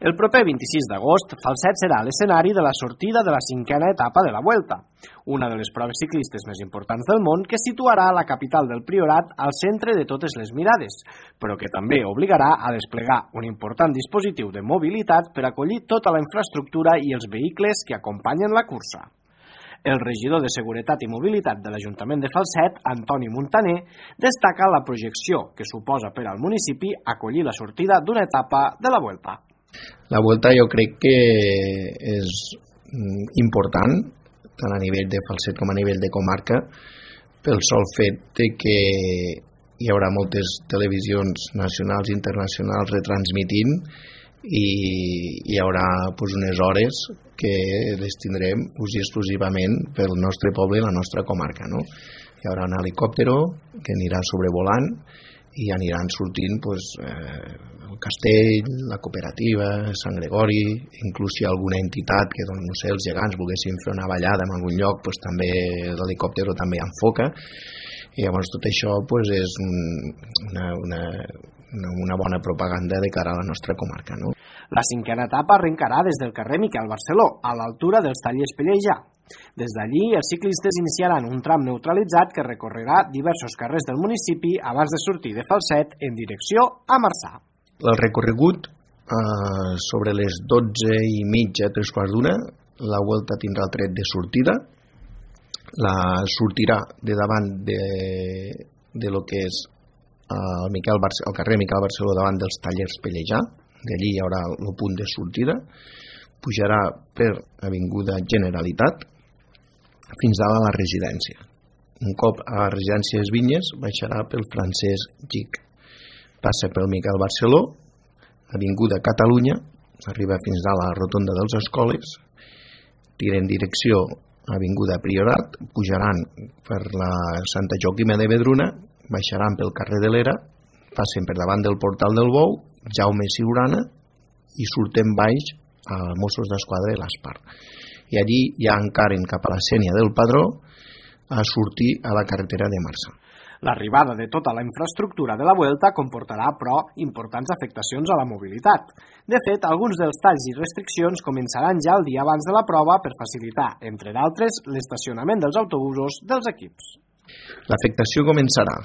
El proper 26 d'agost, Falset serà l'escenari de la sortida de la 5a etapa de la Vuelta, una de les proves ciclistes més importants del món que situarà la capital del Priorat al centre de totes les mirades, però que també obligarà a desplegar un important dispositiu de mobilitat per acollir tota la infraestructura i els vehicles que acompanyen la cursa. El regidor de Seguretat i Mobilitat de l'Ajuntament de Falset, Antoni Montaner, destaca la projecció que suposa per al municipi acollir la sortida d'una etapa de la Vuelta. La Vuelta jo crec que és important, tant a nivell de Falset com a nivell de comarca, pel sol fet de que hi haurà moltes televisions nacionals i internacionals retransmitint i hi haurà unes hores que les tindrem exclusivament pel nostre poble i la nostra comarca, no? Hi haurà un helicòptero que anirà sobrevolant i aniran sortint el castell, la cooperativa, Sant Gregori, inclús si alguna entitat que no sé, els gegants volguessin fer una ballada en algun lloc, també l'helicòptero també enfoca, i llavors tot això és una bona propaganda de cara a la nostra comarca, no? La 5a etapa arrencarà des del carrer Miquel Barceló, a l'altura dels Tallers Pellejà. Des d'allí, els ciclistes iniciaran un tram neutralitzat que recorrerà diversos carrers del municipi abans de sortir de Falset en direcció a Marçà. El recorregut, sobre les 12:30, 3:15, la Vuelta tindrà el tret de sortida. Sortirà de davant de lo que és el carrer Miquel Barceló davant dels Tallers Pellejà. D'allí hi haurà el punt de sortida, pujarà per Avinguda Generalitat fins a la residència. Un cop a la residència Les Vinyes baixarà pel Francesc Gich, passa pel Miquel Barceló, Avinguda Catalunya, arriba fins a la rotonda dels Escoles, tira en direcció a Avinguda Priorat, pujaran per la Santa Joaquima de Vedruna, baixaran pel carrer de l'Era, passen per davant del Portal del Bou, Jaume Siurana, i surten baix a Mossos d'Esquadra i l'Aspar. I allí ja encaren cap a la Sénia del Padró a sortir a la carretera de Marçà. L'arribada de tota la infraestructura de la Vuelta comportarà, però, importants afectacions a la mobilitat. De fet, alguns dels talls i restriccions començaran ja el dia abans de la prova per facilitar, entre d'altres, l'estacionament dels autobusos dels equips. L'afectació començarà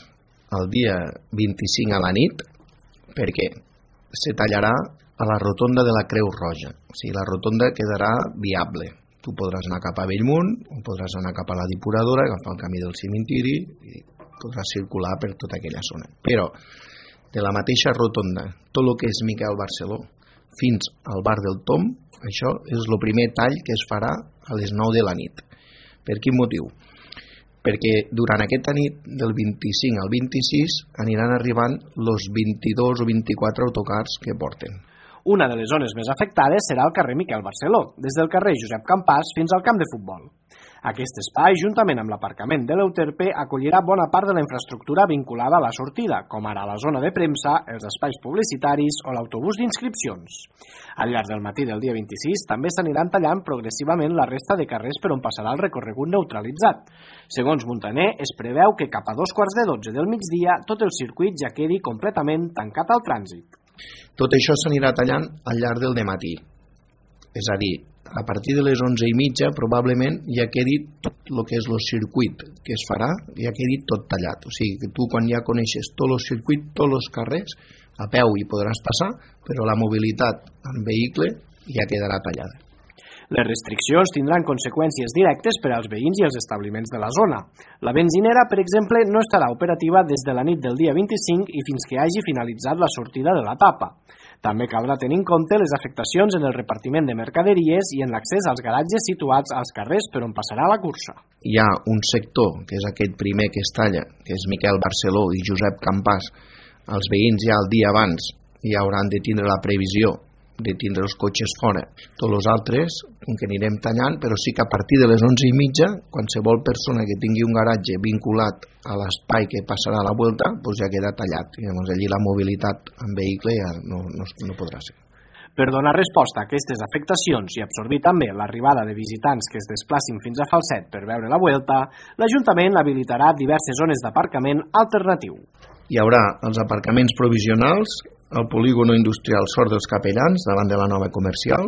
el dia 25 a la nit, perquè se tallarà a la rotonda de la Creu Roja. O sigui, la rotonda quedarà viable. Tu podràs anar cap a Bellmunt, o podràs anar cap a la Depuradora, agafar el camí del cimentiri, i podràs circular per tota aquella zona. Però, de la mateixa rotonda, tot el que és Miquel Barceló, fins al bar del Tom, això és el primer tall que es farà a les 9 de la nit. Per quin motiu? Perquè durant aquesta nit, del 25 al 26, aniran arribant els 22 o 24 autocars que porten. Una de les zones més afectades serà el carrer Miquel Barceló, des del carrer Josep Campàs fins al camp de futbol. Aquest espai, juntament amb l'aparcament de l'Euterpe, acollirà bona part de la infraestructura vinculada a la sortida, com ara la zona de premsa, els espais publicitaris o l'autobús d'inscripcions. Al llarg del matí del dia 26 també s'aniran tallant progressivament la resta de carrers per on passarà el recorregut neutralitzat. Segons Montaner, es preveu que cap a 12:45 del migdia tot el circuit ja quedi completament tancat al trànsit. Tot això s'anirà tallant al llarg del dematí. És a dir, a partir de les 11:30 probablement ja quedi tot el que és el circuit que es farà, ja quedi tot tallat. O sigui que tu quan ja coneixes tot el circuit, tots els carrers, a peu hi podràs passar, però la mobilitat en vehicle ja quedarà tallada. Les restriccions tindran conseqüències directes per als veïns i els establiments de la zona. La benzinera, per exemple, no estarà operativa des de la nit del dia 25 i fins que hagi finalitzat la sortida de l'etapa. També caldrà tenir en compte les afectacions en el repartiment de mercaderies i en l'accés als garatges situats als carrers per on passarà la cursa. Hi ha un sector, que és aquest primer que es talla, que és Miquel Barceló i Josep Campàs. Els veïns ja el dia abans ja hauran de tindre la previsió de tindre els cotxes fora. Tots els altres, que anirem tallant, però sí que a partir de les 11:30, qualsevol persona que tingui un garatge vinculat a l'espai que passarà a la Vuelta, doncs ja queda tallat. I llavors allí la mobilitat en vehicle ja no podrà ser. Per donar resposta a aquestes afectacions i absorbir també l'arribada de visitants que es desplacin fins a Falset per veure la Vuelta, l'Ajuntament habilitarà diverses zones d'aparcament alternatiu. Hi haurà els aparcaments provisionals al polígono industrial Sort dels Capellans, davant de la nova comercial,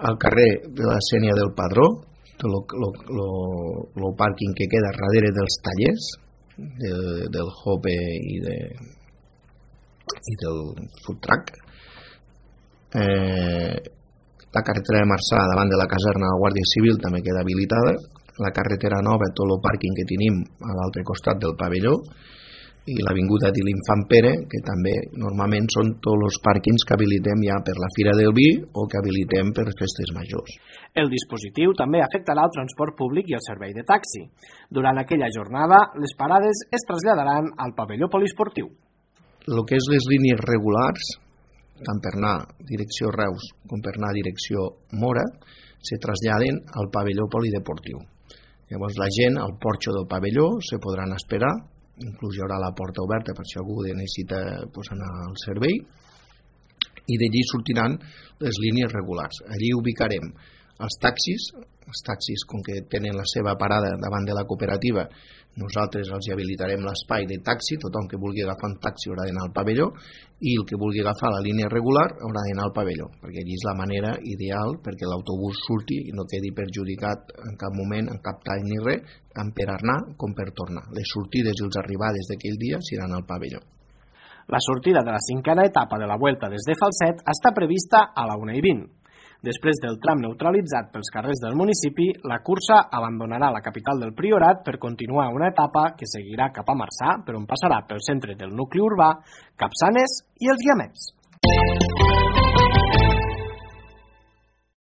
al carrer de la Sénia del Padró, el pàrquing que queda darrere dels tallers, del Hope i del food truck, la carretera de Marçà davant de la caserna de la Guàrdia Civil també queda habilitada, la carretera nova, tot el pàrquing que tenim a l'altre costat del pavelló, i l'avinguda de l'Infant Pere, que també normalment són tots els pàrquings que habilitem ja per la Fira del Vi o que habilitem per festes majors. El dispositiu també afectarà el transport públic i el servei de taxi. Durant aquella jornada, les parades es traslladaran al pavelló poliesportiu. El que és les línies regulars, tant per anar direcció Reus com per anar direcció Mora, se traslladen al pavelló polideportiu. Llavors la gent al porxo del pavelló se podran esperar, inclús hi haurà la porta oberta per si algú necessita anar al servei, i d'allí sortiran les línies regulars. Allí ubicarem els taxis com que tenen la seva parada davant de la cooperativa, nosaltres els habilitarem l'espai de taxi, tothom que vulgui agafar un taxi haurà d'anar al pavelló i el que vulgui agafar la línia regular haurà d'anar al pavelló, perquè allí és la manera ideal perquè l'autobús surti i no quedi perjudicat en cap moment, en cap tall ni res, tant per anar com per tornar. Les sortides i les arribades d'aquell dia seran al pavelló. La sortida de la 5a etapa de la Vuelta des de Falset està prevista a la 1:20. Després del tram neutralitzat pels carrers del municipi, la cursa abandonarà la capital del Priorat per continuar una etapa que seguirà cap a Marçà, per on passarà pel centre del nucli urbà, Capçanes i els Guiamets.